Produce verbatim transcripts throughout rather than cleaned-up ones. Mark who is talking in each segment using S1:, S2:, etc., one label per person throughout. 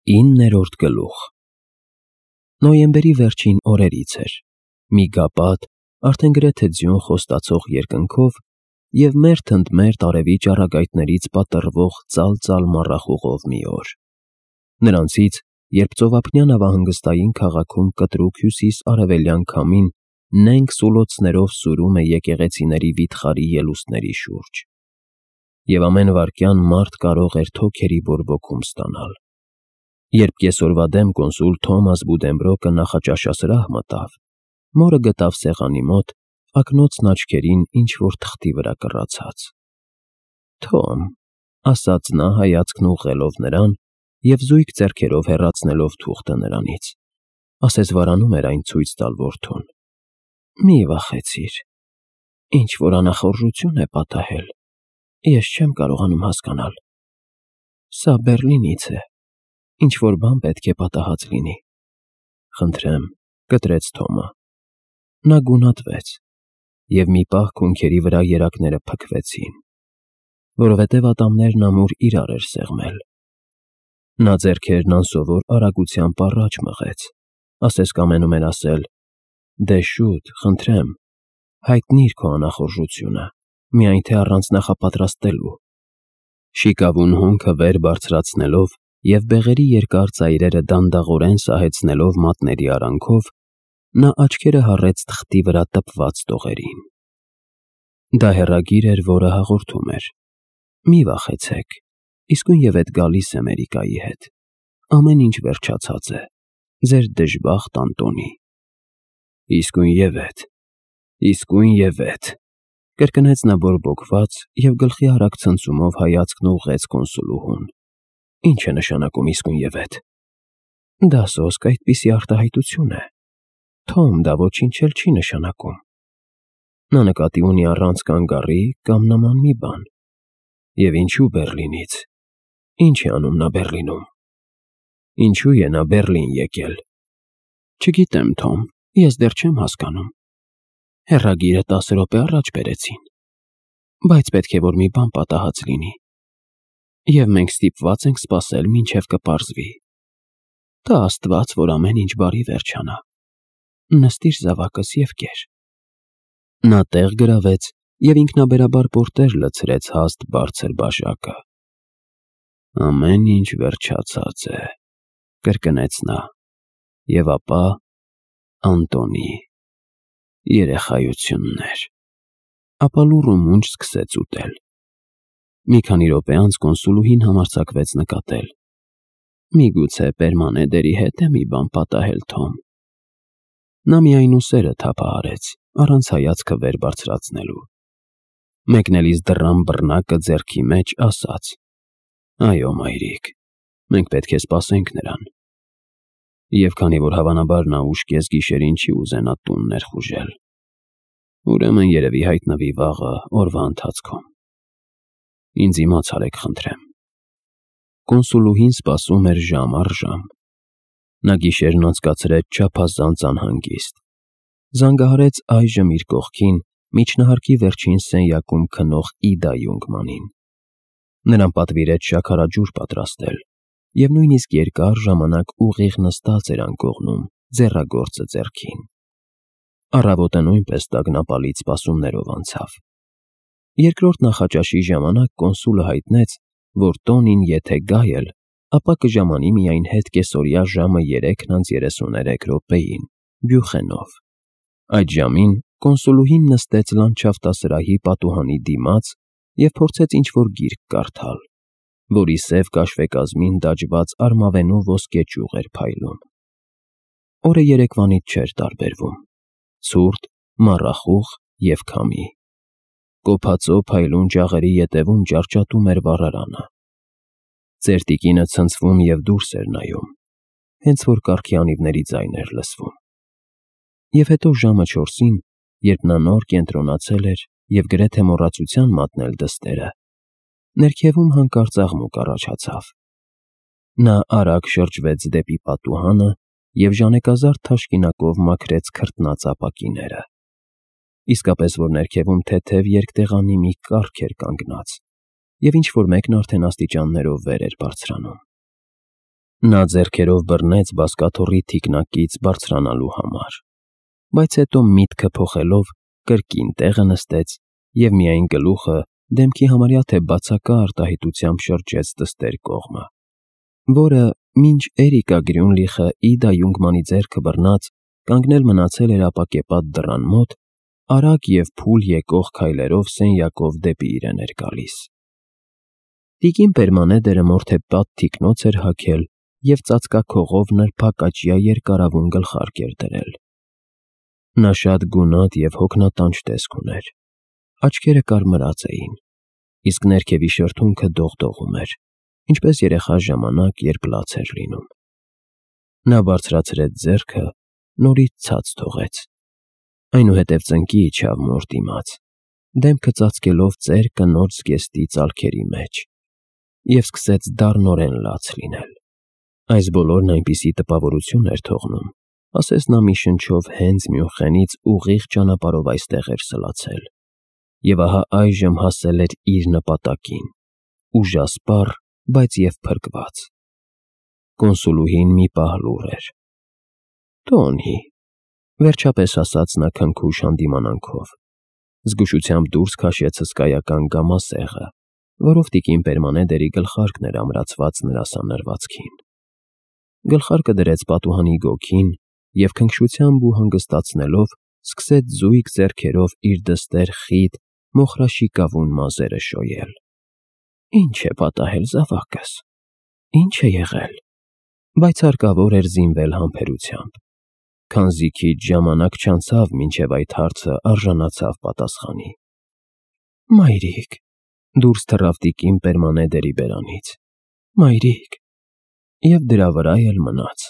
S1: Իններորդ գլուխ Նոյեմբերի վերջին օրերից էր, մի գապատ, արդեն գրեթե ձյուն խոստացող երկնքով և մերթ ընդ մերթ արևի ճառագայթներից պատռվող ծալ-ծալ մառախուղով մի օր. Նրանցից, երբ ծովափնյա նավահանգստային քաղաքում կտրուկ հյուսիս֊արևելյան քամին նենգ սուլոցներով սուրում է եկեղեցիների վիթխարի ելուստների շուրջ, և ամեն վայրկյան մարդ կարող էր թոքերի բորբոքում ստանալ. Երբ կեսօրվա դեմ կոնսուլ Թոմաս Բուդենբրոկը նախաճաշասրահ մտավ, մորը գտավ սեղանի մոտ, ակնոցն աչքերին ինչ-որ թղթի վրա կռացած։ ֊ Թոմ, ֊ ասաց նա հայացքն ուղղելով նրան և զույգ ձեռքերով հեռացնելով թուղթը նրանից, ասես վարանում էր այն ցույց տալ որդուն, ֊ մի վախեցիր, ինչ֊որ անախորժություն է պատահել, ես չեմ կարողանում հասկանալ, սա Բեռլինից է, ինչ-որ բան պետք է պատահած լինի։ ֊ Խնդրեմ, ֊ կտրեց Թոմը։ Նա գունատվեց, և մի պահ քունքերի վրա երակները փքվեցին, որովհետև ատամներն ամուր իրար էր սեղմել։ Նա ձեռքերն անսովոր արագությամբ առաջ մղեց, ասես կամենում էր ասել. «Դե շուտ, խնդրեմ, հայտնիր քո անախորժությունը, միայն թե առանց նախապատրաստելու»։ Շիկավուն հոնքը վեր բարձրացնելով և բեղերի երկար ծայրերը դանդաղորեն սահեցնելով մատների արանքով, նա աչքերը հառեց թղթի վրա տպված տողերին։ Դա հեռագիր էր, որը հաղորդում էր. «Մի վախեցեք, իսկույնևեթ գալիս է Մերիկայի հետ, ամեն ինչ վերջացած է, ձեր դժբախտ Անտոնի»։ «Իսկույնևեթ, իսկույնևեթ», կրկնեց նա բորբոքված և գլխի արագ ցնցումով հայացքն ուղղեց կոնսուլուհուն։ «Ի՞նչ է նշանակում իսկույնևեթ»։ «Դա սոսկ այդպիսի արտահայտություն է, Թոմ, դա ոչինչ էլ չի նշանակում։ Նա նկատի ունի առանց կանգառի կամ նման մի բան։ Եվ ինչո՞ւ Բեռլինից, ի՞նչ է անում նա Բեռլինում։ Ինչո՞ւ է նա Բեռլին եկել։ Չգիտեմ, Թոմ, ես դեռ չեմ հասկանում։ Հեռագիրը տասը րոպե առաջ բերեցին, բայց պետք է որ մի բան պատահած լինի, և մենք ստիպված ենք սպասել, մինչև կպարզվի։ Տա Աստված, որ ամեն ինչ բարի վերջանա։ Նստիր զավակս և կեր»։ Նա տեղ գրավեց և ինքնաբերաբար պորտեր լցրեց հաստ բարձր բաժակը։ «Ամեն ինչ վերջացած է», ֊ կրկնեց նա, և ապա Անտոնի, երեխայություններ, ապա լուռ ու մունջ սկսեց ուտել։ Մի քանի րոպե անց կոնսուլուհին համարձակվեց նկատել. «Միգուցե Պերմանեդերի հետ է մի բան պատահել, Թոմ»։ Նա միայն ուսերը թափահարեց, առանց հայացքը վեր բարձրացնելու։ Մեկնելիս դռան բռնակը ձեռքի մեջ ասաց. «Այո, մայրիկ, մենք պետք է սպասենք նրան»։ Եվ քանի որ հավանաբար նա ուշ կեսգիշերին չի ուզենա տուն ներխուժել, ուրեմն երևի հայտնվի վաղը օրվա ընթացքում։ Ինձ իմաց արեք, խնդրեմ։ Կոնսուլուհին սպասում էր ժամ առ ժամ։ Նա գիշերն անցկացրեց չափազանց անհանգիստ։ Զանգահարեց այժմ իր կողքին միջնահարկի վերջին սենյակում քնող Իդա Յունգմանին։ Նրան պատվիրեց շաքարաջուր պատրաստել, և նույնիսկ երկար ժամանակ ուղիղ նստած էր անկողնում, ձեռագործը ձեռքին։ Առավոտը նույնպես տագնապալից սպասումներով անցավ։ Երկրորդ նախաճաշի ժամանակ կոնսուլը հայտնեց, որ տոնին եթե գա էլ, ապա կժամանի միայն հետ կեսօրյա ժամը երեքն անց երեսուներեք րոպեին, Բյուխենով։ Այդ ժամին կոնսուլուհին նստեց լանդշաֆտասրահի պատուհանի դիմաց և փորձեց ինչ-որ գիրք կարդալ, որի սև կաշվեկազմին դաջված արմավենու ոսկե ճյուղ էր փայլում։ Օրը երեկվանից չէր տարբերվում. ցուրտ, մառախուղ և քամի։ Կոփածո փայլուն ջաղերի ետևում ճարճատում էր վառարանը։ Ծեր տիկինը ցնցվում և դուրս էր նայում, հենց որ կառքի անիվների ձայն էր լսվում։ Եվ հետո ժամը չորսին, երբ նա նոր կենտրոնացել էր և գրեթե մոռացության մատնել դստերը, ներքևում հանկարծ աղմուկ առաջացավ։ Նա արագ շրջվեց դեպի պատուհանը և ժանեկազարդ թաշկինակով մաքրեց քրտնած ապակիները։ Իսկապես որ ներքևում թեթև երկտեղանի մի կառք էր կանգնած, և ինչ֊որ մեկն արդեն աստիճաններով վեր էր բարձրանում։ Նա ձեռքերով բռնեց բազկաթոռի թիկնակից բարձրանալու համար, բայց հետո միտքը փոխելով կրկին տեղը նստեց և միայն գլուխը դեմքի համարյա թե բացակա արտահայտությամբ շրջեց դստեր կողմը, որը, մինչ Էրիկա Գրյունլիխը Իդա Յունգմանի ձեռքը բռնած կանգնել մնացել էր ապակեպատ դռան մոտ, արագ և փուլ եկող քայլերով սենյակով դեպի իրեն էր գալիս։ Տիկին Պերմանեդերը մորթեպատ թիկնոց էր հագել և ծածկաքողով նրբակաճյա երկարավուն գլխարկ էր դրել։ Նա շատ գունատ և հոգնատանջ տեսք ուներ, աչքերը կարմրած էին, իսկ ներքևի շրթունքը դողդողում էր, ինչպես երեխա ժամանակ, երբ լաց էր լինում։ Նա բարձրացրեց ձեռքը, նորից ցած թողեց, այնուհետև ծնկի իջավ մոր դիմաց, դեմքը ծածկելով ծեր կնոջ զգեստի ծալքերի մեջ, և սկսեց դառնորեն լաց լինել։ Այս բոլորն այնպիսի տպավորություն էր թողնում, ասես նա մի շնչով հենց Մյունխենից ուղիղ ճանապարհով այստեղ էր սլացել, և ահա այժմ հասել էր իր նպատակին, ուժասպառ, բայց և փրկված։ Կոնսուլուհին մի պահ լուռ էր։ Տոնի, վերջապես ասաց նա քնքուշ հանդիմանանքով, զգուշությամբ դուրս քաշեց հսկայական գամասեղը, որով տիկին Պերմանեդերի գլխարկն էր ամրացված նրա սանրվածքին։ Գլխարկը դրեց պատուհանի գոգին և քնքշությամբ ու հանգստացնելով սկսեց զույգ ձեռքերով իր դստեր խիտ, մոխրաշիկավուն մազերը շոյել։ Ինչ է պատահել, զավակս, ինչ է եղել, բայց հարկավոր էր զինվել համբերությամբ, քանզի քիչ ժամանակ չանցավ, մինչև այդ հարցը արժանացավ պատասխանի։ Մայրիկ, դուրս թռավ տիկին Պերմանեդերի բերանից, մայրիկ, և դրա վրա էլ մնաց։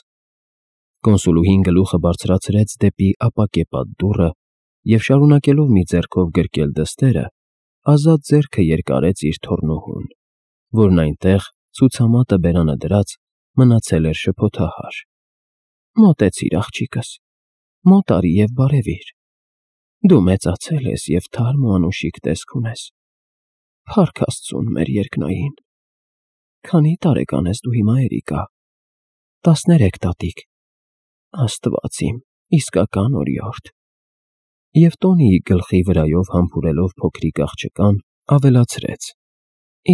S1: Կոնսուլուհին գլուխը բարձրացրեց դեպի ապակեպատ դուռը և շարունակելով մի ձեռքով գրկել դստերը, ազատ ձեռքը երկարեց իր թոռնուհուն, որն այնտեղ, ցուցամատը բերանը դրած, մնացել էր շփոթահար։ Մոտեցիր, աղջիկս, մոտ արի և բարևիր։ Դու մեծացել ես և թարմ ու անուշիկ տեսք ունես։ Փառք Աստծուն, մեր երկնային։ Քանի տարեկան ես դու հիմա, Էրիկա։ Տասներեք, տատիկ։ Աստված իմ, իսկական օրիորդ։ Եվ Տոնիի գլխի վրայով համբուրելով փոքրիկ աղջկան, ավելացրեց.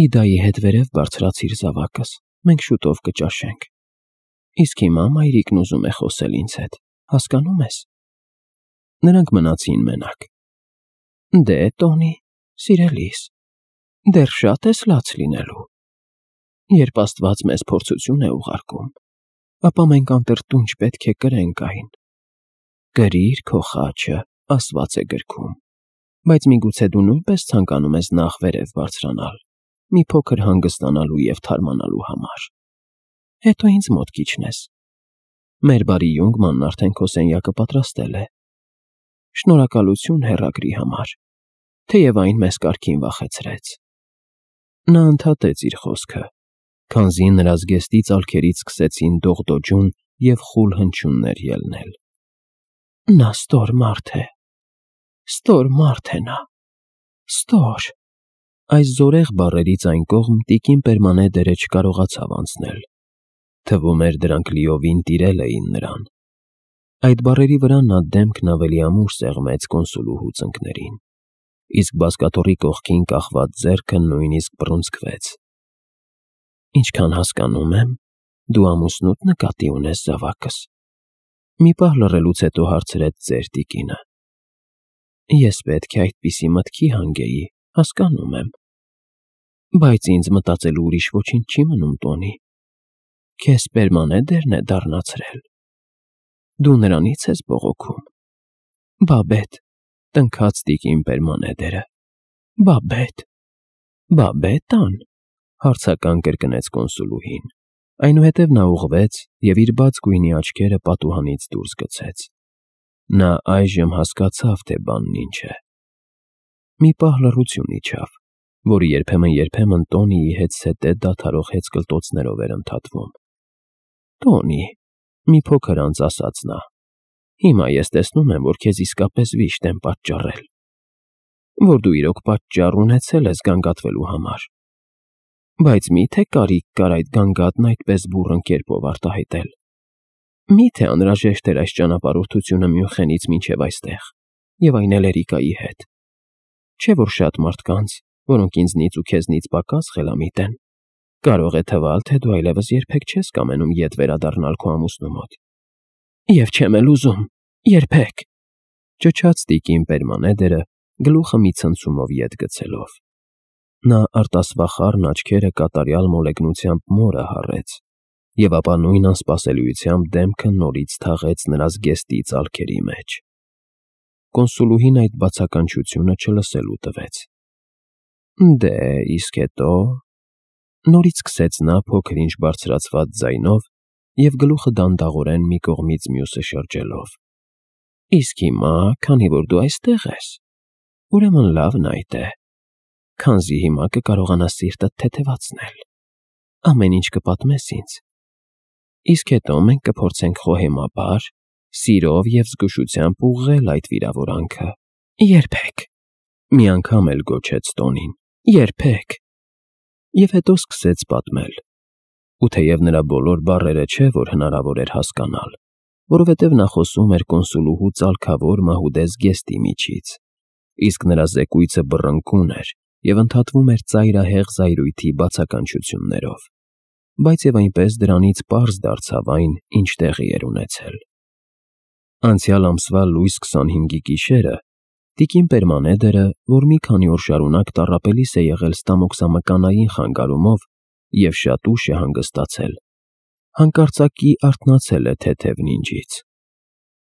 S1: Իդայի հետ վերև բարձրացիր, զավակս, մենք շուտով կճաշենք։ Իսկ հիմա մայրիկն ուզում է խոսել ինձ հետ, հասկանո՞ւմ ես։ Նրանք մնացին մենակ։ Դե, Տոնի, սիրելիս, դեռ շատ ես լաց լինելու։ Երբ Աստված մեզ փորձություն է ուղարկում, ապա մենք անտրտունջ պետք է կրենք այն։ Կրիր քո խաչը, ասված է գրքում, բայց միգուցե դու նույնպես ցանկանում ես նախ վերև բարձրանալ, մի փոքր հանգստանալու և թարմանալու համար։ Հետո ինձ մոտ կիջնես։ Մեր բարի Յունգմանն արդեն քո սենյակը պատրաստել է։ Շնորհակալություն հեռագրի համար, թեև այն մեզ կարգին վախեցրեց։ Նա ընդհատեց իր խոսքը, քանզի նրա զգեստի ծալքերից սկսեցին դողդոջուն և խուլ հնչյուններ ելնել։ Նա ստոր մարդ է, ստոր մարդ է նա, ստոր։ Այս զորեղ բառերից այն կողմ տիկին Պերմանեդերը չկարողացավ անցնել։ Թվում էր, դրանք լիովին տիրել էին նրան։ Այդ բառերի վրա նա դեմքն ավելի ամուր սեղմեց կոնսուլուհու ծնկներին, իսկ բազկաթոռի կողքին կախված ձեռքը նույնիսկ բռունցքվեց։ Ինչքան հասկանում եմ, դու ամուսնուդ նկատի ունես, զավակս։ Մի պահ լռելուց հետո հարցրեց ծեր տիկինը։ Ես պետք է այդպիսի մտքի հանգեի, հասկանում եմ։ Բայց ինձ մտածելու ուրիշ ոչինչ չի մնում, Տոնի։ Քեզ Պերմանեդերն է դառնացրել։ Դու նրանից ես բողոքում։ Բաբետ, տնքաց տիկին Պերմանեդերը։ Բաբետ։ Բաբետան, հարցական կրկնեց կոնսուլուհին, այնուհետև նա ուղղվեց և իր բաց գույնի աչքերը պատուհանից դուրս գցեց։ Նա այժմ հասկացավ, թե բանն ինչ է։ Մի պահ լռություն իջավ, որը երբեմն-երբեմն Տոնիի հետզհետե դադարող հեծկլտոցներով էր ընդհատվում։ Տոնի, մի փոքր անց ասաց նա, հիմա ես տեսնում եմ, որ քեզ իսկապես վիշտ եմ պատճառել, որ դու իրոք պատճառ ունեցել ես գանգատվելու համար։ Բայց մի՞թե կարիք կար այդ գանգատն այդպես բուռն կերպով արտահայտել։ Մի՞թե անհրաժեշտ էր այս ճանապարհորդությունը Մյունխենից մինչև այստեղ, և այն էլ Էրիկայի հետ։ Չէ՞ որ շատ մարդկանց, որոնք ինձնից ու քեզնից պակաս խելամիտ են, կարող է թվալ, թե դու այլևս երբեք չես կամենում ետ վերադառնալ քո ամուսնու մոտ։ Եվ չեմ էլ ուզում, երբեք, ճչաց տիկին Պերմանեդերը, գլուխը մի ցնցումով ետ գցելով։ Նա արտասվախառն աչքերը կատարյալ մոլեգնությամբ մորը հառեց, և ապա նույն անսպասելիությամբ դեմքը նորից թաղեց նրա զգեստի ծալքերի մեջ։ Կոնսուլուհին այդ բացականչությունը չլսելու տվեց։ Դե, իսկ հետո… Նորից սկսեց նա փոքր-ինչ բարձրացված ձայնով և գլուխը դանդաղորեն մի կողմից մյուսը շրջելով։ Իսկ հիմա, քանի որ դու այստեղ ես, ուրեմն լավն այդ է, քանզի հիմա կկարողանաս սիրտդ թեթևացնել, ամեն ինչ կպատմես ինձ, իսկ հետո մենք կփորձենք խոհեմաբար, սիրով և զգուշությամբ ուղղել այդ վիրավորանքը։ Երբեք, մի անգամ էլ գոչեց տոնին, երբեք։ Եվ հետո սկսեց պատմել, ու թեև նրա բոլոր բառերը չէ, որ հնարավոր էր հասկանալ, որովհետև նա խոսում էր կոնսուլուհու ծալքավոր մահուդե զգեստի միջից, իսկ նրա զեկույցը բռնկուն էր և ընդհատվում էր ծայրահեղ զայրույթի բացականչություններով, բայց և այնպես դրանից պարզ դարձավ այն, ինչ տեղի էր ունեցել։ Անցյալ ամսվա լույս քսանհինգի գիշերը տիկին Պերմանեդերը, որ մի քանի օր շարունակ տառապելիս է եղել ստամոքսամկանային խանգարումով և շատ ուշ է հանգստացել, հանկարծակի արթնացել է թեթև նինջից։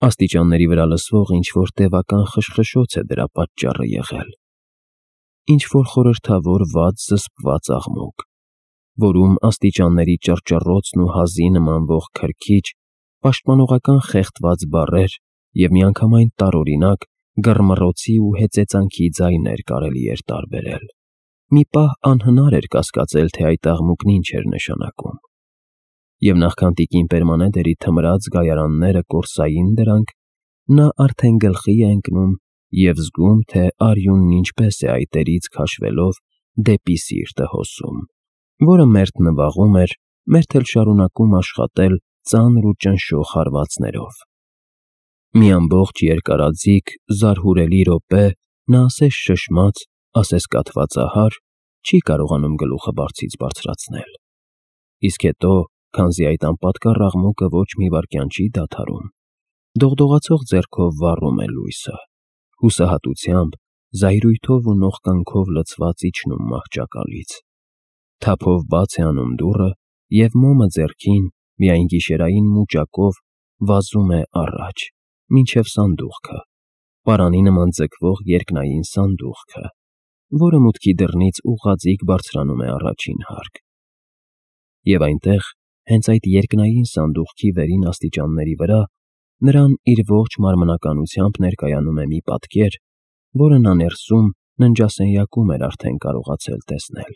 S1: Աստիճանների վրա լսվող ինչ-որ տևական խշխշոց է դրա պատճառը եղել։ Ինչ-որ խորհրդավոր վատ զսպված աղմուկ, որում աստիճանների ճռճռոցն ու հազի նմանվող քրքիջ, պաշտպանողական խեղդված բառեր և միանգամայն տարօրինակ գռմռոցի ու հեծեծանքի ձայներ կարելի էր տարբերել։ Մի պահ անհնար էր կասկածել, թե այդ աղմուկն ինչ էր նշանակում։ Եվ նախքան տիկին Պերմանեդերի թմրած գայարանները կորսային դրանք, նա արդեն գլխի է ընկնում և զգում, թե արյունն ինչպես է այտերից քաշվելով դեպի սիրտը հոսում, որը մերթ նվաղում էր, մերթ էլ շարունակում աշխատել ծանր ու ճնշող հարվածներով։ Մի ամբողջ երկարաձիգ, զարհուրելի րոպե նա ասես շշմած, ասես կաթվածահար չի կարողանում գլուխը բարձից բարձրացնել։ Իսկ հետո, քանզի այդ անպատկառ աղմուկը ոչ մի վայրկյան չի դադարում, դողդողացող ձեռքով վառում է լույսը, հուսահատությամբ, զայրույթով ու նողկանքով լցված իջնում մահճակալից, թափով բաց է անում դուռը և մոմը ձեռքին, միայն գիշերային մուճակով վազում է առաջ, մինչև սանդուղքը, պարանի նման ձգվող երկնային սանդուղքը, որը մուտքի դռնից ուղղաձիգ բարձրանում է առաջին հարկ։ Եվ այնտեղ, հենց այդ երկնային սանդուղքի վերին աստիճանների վրա, նրան իր ողջ մարմնականությամբ ներկայանում է մի պատկեր, որը նա ներսում ննջասենյակում էր արդեն կարողացել տեսնել,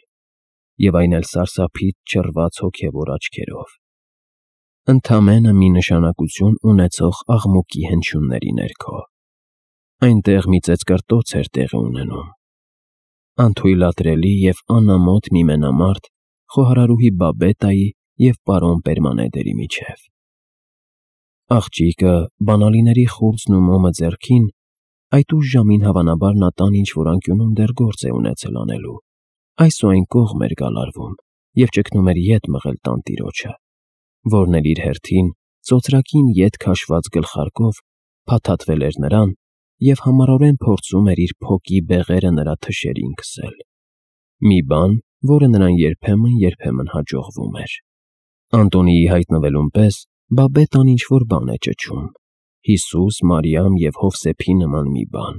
S1: և այն էլ սարսափից չռված հոգևոր աչքերով, ընդամենը մի նշանակություն ունեցող աղմուկի հնչյունների ներքո։ Այնտեղ մի ծեծկռտոց էր տեղի ունենում, անթույլատրելի և անամոթ մի մենամարտ խոհարարուհի Բաբետայի և պարոն Պերմանեդերի միջև։ Աղջիկը, բանալիների խուրձն ու մոմը ձեռքին, այդ ուշ ժամին հավանաբար նա տան ինչ-որ անկյունում դեռ գործ է ունեցել անելու, այս ու այն կողմ էր գալարվում և ճգնում էր ետ մղել տանտիրոջը, որն էլ իր հերթին ծոծրակին ետ քաշված գլխարկով փաթաթվել էր նրան և համառորեն փորձում էր իր փոկի բեղերը նրա թշերին քսել։ Մի բան, որը նրան երբեմն-երբեմն հաջողվում էր։ Անտոնիի հայտնվելուն պես Բաբետան ինչ-որ բան է ճչում, Հիսուս, Մարիամ և Հովսեփի նման մի բան։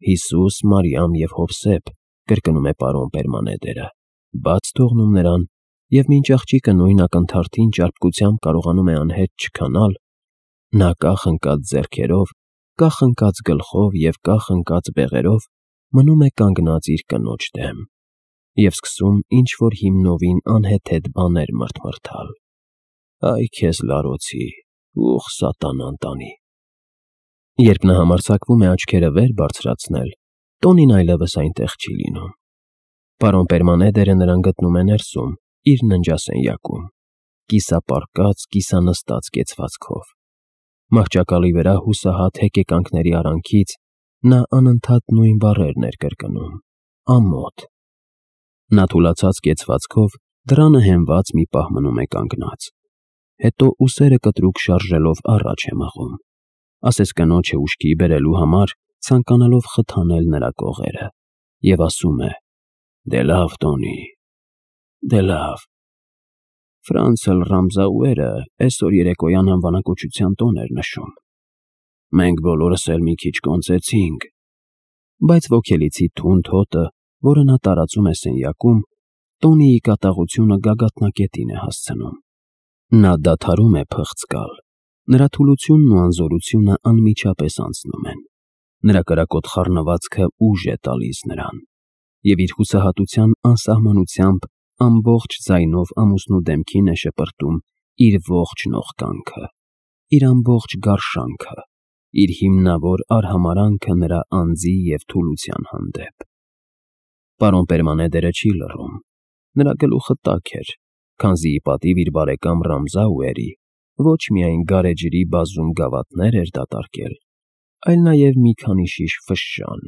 S1: Հիսուս, Մարիամ և Հովսեփ, կրկնում է պարոն Պերմանեդերը, բաց թողնում նրան, և մինչ աղջիկը նույն ակնթարթին ճարպկությամբ կարողանում է անհետ չքանալ, նա կախ ընկած ձեռքերով, կախ ընկած գլխով և կախ ընկած բեղերով մնում է կանգնած իր կնոջ դեմ և սկսում ինչ-որ հիմնովին անհեթեթ բաներ մրթմրթալ. «Այ քեզ լարոցի, ուղ սատանան տանի»։ Երբ նա համարձակվում է աչքերը վեր բարձրացնել, տոնին այլևս այնտեղ չի լինում։ Պարոն Պերմանեդերը նրան գտնում է ներսում, իր ննջասենյակում, կիսապառկած, կիսանստած կեցվածքով։ Մահճակալի վրա հուսահատ հեկեկանքների արանքից նա անընդհատ նույն բառերն էր կրկնում. ամոթ։ Նա թուլացած կեցվածքով դռանը հենված մի պահ մնում է կանգնած, հետո ուսերը կտրուկ շարժելով առաջ է մղում, ասես կնոջը ուշքի բերելու համար ցանկանալով խթանել նրա կողերը, և ասում է. «Դե լավ, Տոնի, դե լավ»։ Ֆրանցել Ռամզաուերը այսօր երեկոյան անվանակոչության տոն էր նշում։ Մենք բոլորս էլ մի քիչ կոնծեցինք, բայց ոգելիցի թունդ հոտը, որը նա տարածում է սենյակում, Տոնիի կատաղությունը գագաթնակետին է հասցնում։ Նա դադարում է փղծկալ, նրա թուլությունն ու անզորությունը անմիջապես անցնում են, նրա կրակոտ խառնվածքը ուժ է տալիս նրան, և իր հուսահատության անսահմանությամբ ամբողջ ձայնով ամուսնու դեմքին է շպրտում իր ողջ նողկանքը, իր ամբողջ գարշանքը, իր հիմնավոր արհամարհանքը նրա անձի և թուլության հանդեպ։ Պարոն Պերմանեդերը չի լռում, նրա գլուխը տաք էր, քանզի ի պատիվ իր բարեկամ Ռամզաուերի ոչ միայն գարեջրի բազում գավաթներ էր դատարկել, այլ նաև մի քանի շիշ ֆշշան։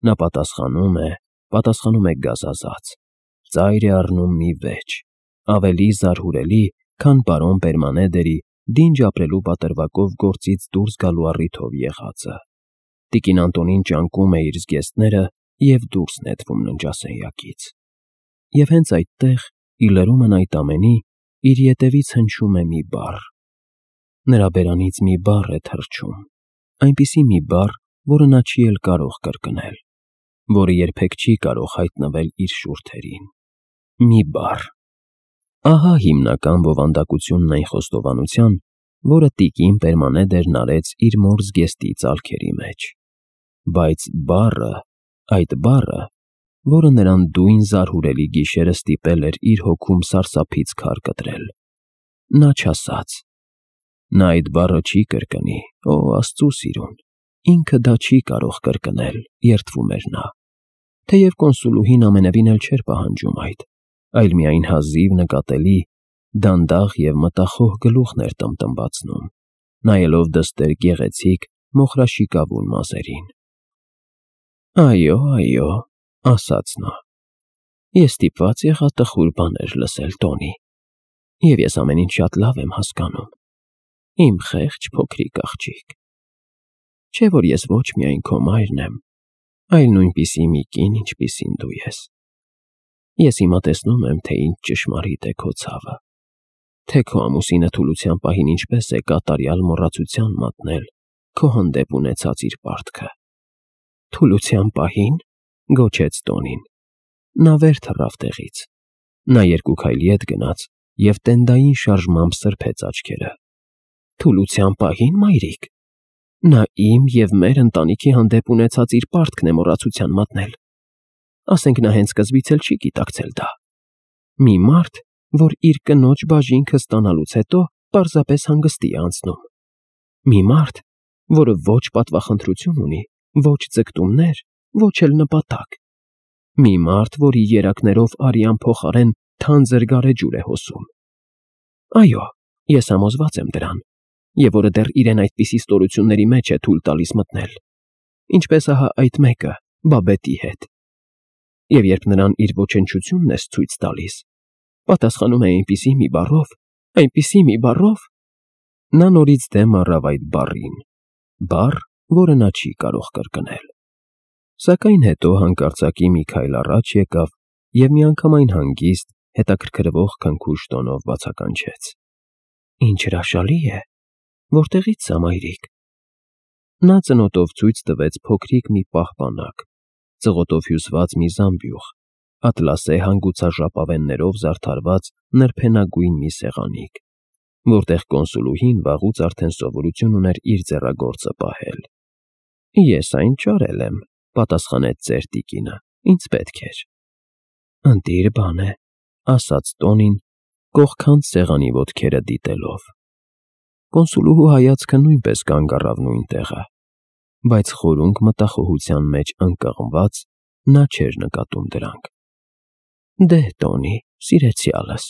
S1: Նա պատասխանում է, պատասխանում է գազազած, ծայր է առնում մի վեճ, ավելի զարհուրելի, քան պարոն Պերմանեդերի դինջ ապրելու պատրվակով գործից դուրս գալու առիթով եղածը։ Տիկին Անտոնին ճանկում է իր զգեստները և դուրս նետվում ննջասենյակից։ Եվ հենց այդտեղ, ի լրումն այդ ամենի, իր ետևից հնչում է մի բառ։ Նրա բերանից մի բառ է թռչում, այնպիսի մի բառ, որը նա չի էլ կարող կրկնել, որը երբեք չի կարող հայտնվել իր շուրթերին։ Մի բառ։ Ահա հիմնական բովանդակությունն այն խոստովանության, որը տիկին Պերմանեդերն արեց իր մոր զգեստի ծալքերի մեջ։ Բայց բառը, այդ բառը, որը նրան դույն զարհուրելի գիշերը ստիպել էր իր հոգում սարսափից քար կտրել, նա չասաց։ Նա այդ բառը չի կրկնի, օ, Աստծու սիրուն, ինքը դա չի կարող կրկնել, երդվում էր նա, թեև կոնսուլուհին ամենևին էլ չէր պահանջում այդ, այլ միայն հազիվ նկատելի, դանդաղ և մտախոհ գլուխն էր տմտմբացնում, նայելով դստեր գեղեցիկ, մոխրաշիկավուն մազերին։ Այո, այո, ասաց նա, ես ստիպված եղա տխուր բաներ լսել, Տոնի, և ես ամեն ինչ շատ լավ եմ հասկանում, իմ խեղճ փոքրիկ աղջիկ։ Չէ՞ որ ես ոչ միայն քո մայրն եմ, այլ նույնպիսի մի կին, ինչպիսին դու ես։ Ես հիմա տեսնում եմ, թե ինչ ճշմարիտ է քո ցավը, թե քո ամուսինը թուլության պահին ինչպես է կատարյալ մոռացության մատնել քո հանդեպ ունեցած իր պարտքը։ Թուլության պահի՞ն, գոչեց Տոնին։ Նա վեր թռավ տեղից։ Նա երկու քայլի հետ գնաց և տենդային շարժմամբ սրբեց աչքերը։ Թուլության պահի՞ն, մայրիկ։ Նա իմ և մեր ընտանիքի հանդեպ ունեցած իր պարտքն է մոռացության մատնել։ Ասենք նա հենց սկզբից էլ չի գիտակցել դա։ Մի մարդ, որ իր կնոջ բաժինքը ստանալուց հետո պարզապես հանգստի է անցնում։ Մի մարդ, որը ոչ պատվախնդրություն ունի, ոչ ձգտումներ, ոչ էլ նպատակ։ Մի մարդ, որի երակներով արյան փոխարեն թանձր գարեջուր է հոսում։ Այո, ես համոզված եմ դրան, և որը դեռ իրեն այդպիսի ստորությունների մեջ է թույլ տալիս մտնել, ինչպես ահա այդ մեկը Բաբետի հետ։ Եվ երբ նրան իր ոչնչությունն ես ցույց տալիս, պատասխանում է այնպիսի մի բառով, այնպիսի մի բառով… Նա նորից դեմ առավ այդ բառին, բառ, որը նա չի կարող կրկնել։ Սակայն հետո հանկարծակի մի քայլ առաջ եկավ և միանգամայն հանգիստ, հետաքրքրվող քնքուշ տոնով բացականչեց. Ինչ հրաշալի է, որտեղի՞ց սա, մայրիկ։ Նա ծնոտով ցույց տվեց փոքրիկ մի պահպանակ, ծղոտով հյուսված մի զամբյուղ, ատլասե հանգուցաժապավեններով զարդարված նրբենագույն մի սեղանիկ, որտեղ կոնսուլուհին վաղուց արդեն սովորություն ուներ իր ձեռագործը պահել։ Ես այն ճարել եմ, պատասխանեց ծեր տիկինը, ինձ պետք էր։ Ընտիր բան է, ասաց Տոնին, կողքանց սեղանի ոտքերը դիտելով։ Կոնսուլուհու հայացքը նույնպես կանգ առավ նույն տեղը, բայց խորունկ մտախոհության մեջ ընկղմված նա չէր նկատում դրանք։ Դե, Տոնի, սիրեցյալս,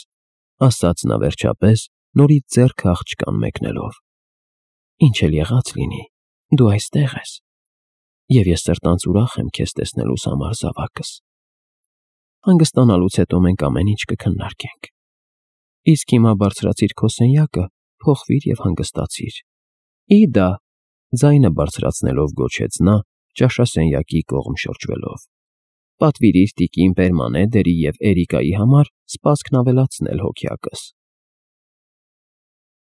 S1: ասաց նա վերջապես, նորից ձեռքը աղջկան մեկնելով. Ինչ էլ եղած լինի, դու այստեղ ես, և ես սրտանց ուրախ եմ քեզ տեսնելուս համար, զավակս. հանգստանալուց հետո մենք ամեն ինչ կքննարկենք, իսկ հիմա բարձրացիր քո սենյակը, փոխվիր և հանգստացիր։ Ի դա, ձայնը բարձրացնելով գոչեց նա, ճաշասենյակի կողմ շրջվելով, պատվիրիր տիկին Պերմանեդերի և Էրիկայի համար սպասքն ավելացնել հոգյակս։